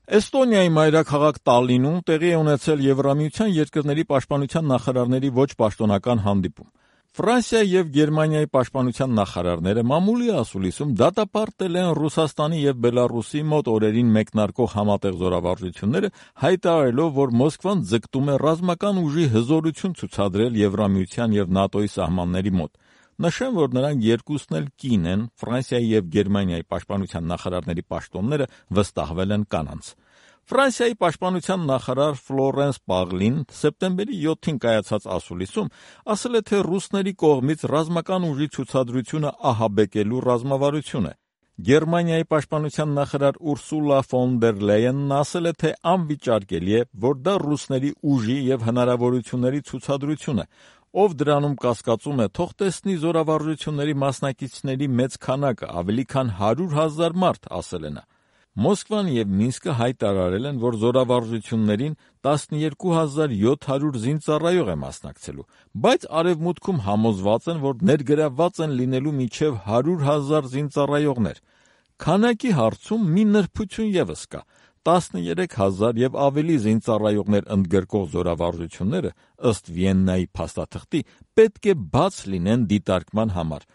Էստոնիայի մայրաքաղաք Տալլինում տեղի է ունեցել Եվրամիության երկրների պաշտպանության նախարարների ոչ պաշտոնական հանդիպում։ Ֆրանսիայի եւ Գերմանիայի պաշտպանության նախարարները մամուլի ասուլիսում դատապարտել են Ռուսաստանի եւ Բելարուսի մոտ օրերին մեկնարկող համատեղ զորավարժությունները, հայտարարելով, որ Մոսկվան ձգտում է ռազմական ուժի հզորություն ցուցադրել Եվրամիության եւ ՆԱՏՕ-ի սահմանների մոտ։ Նշեմ, որ նրանք երկուսն էլ կին են, Ֆրանսիայի եւ Գերմանիայի պաշտպանության նախարարների պաշտոնները վստահվել են կանանց։ Ֆրանսիայի պաշտպանության նախարար Ֆլորենս Պաղլին սեպտեմբերի 7-ին կայացած ասուլիսում ասել է, թե ռուսների կողմից ռազմական ուժի ցուցադրությունը ահաբեկելու ռազմավարություն է։ Գերմանիայի պաշտպանության նախարար Ուրսուլա ֆոն դեր Լեյենն ասել է, թե անվիճարկելի է, որ դա ռուսների ուժի եւ հնարավորությունների ցուցադրություն է։ Ով դրանում կասկածում է, թող տեսնի զորավարժությունների մասնակիցների մեծ քանակը, ավելի քան 100,000 մարդ, ասել է նա։ Մոսկվան եւ Մինսկը հայտարարել են, որ զորավարժություններին 12,700 զինծառայող է մասնակցելու, բայց Արևմուտքում համոզված են, որ ներգրավված են լինելու մինչև 100,000 զինծառայողներ։ Քանակի հարցում մի նրբություն եւս կա։ 13,000 եւ ավելի զինծառայողներ ընդգրկող զորավարժությունները, ըստ Վիեննայի փաստաթղթի, պետք է բաց լինեն դիտարկման համար,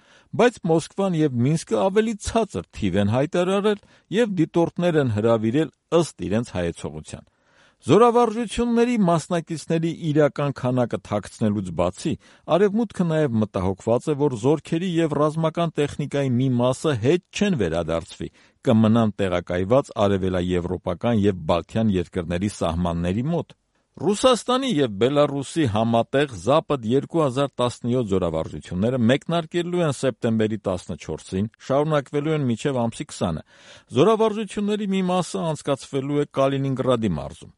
բայց Մոսկվան եւ Մինսկը ավելի ցածր թիվ են հայտարարել եւ դիտորդներ են հրավիրել ըստ իրենց հայեցողության։ Զորավարժությունների մասնակիցների իրական քանակը թաքցնելուց բացի, Արևմուտքը նաև մտահոգված է, որ զորքերի եւ ռազմական տեխնիկայի մի մասը հետ չեն վերադարձվի, կմնան տեղակայված արևելաեվրոպական եւ բալթյան երկրների սահմանների մոտ։ Ռուսաստանի եւ Բելարուսի համատեղ Զապադ 2017 զորավարժությունները մեկնարկելու են սեպտեմբերի 14-ին, շարունակվելու են մինչև ամսի 20-ը։ Զորավարժությունների մի մասը անցկացվելու է Կալինինգրադի մարզում։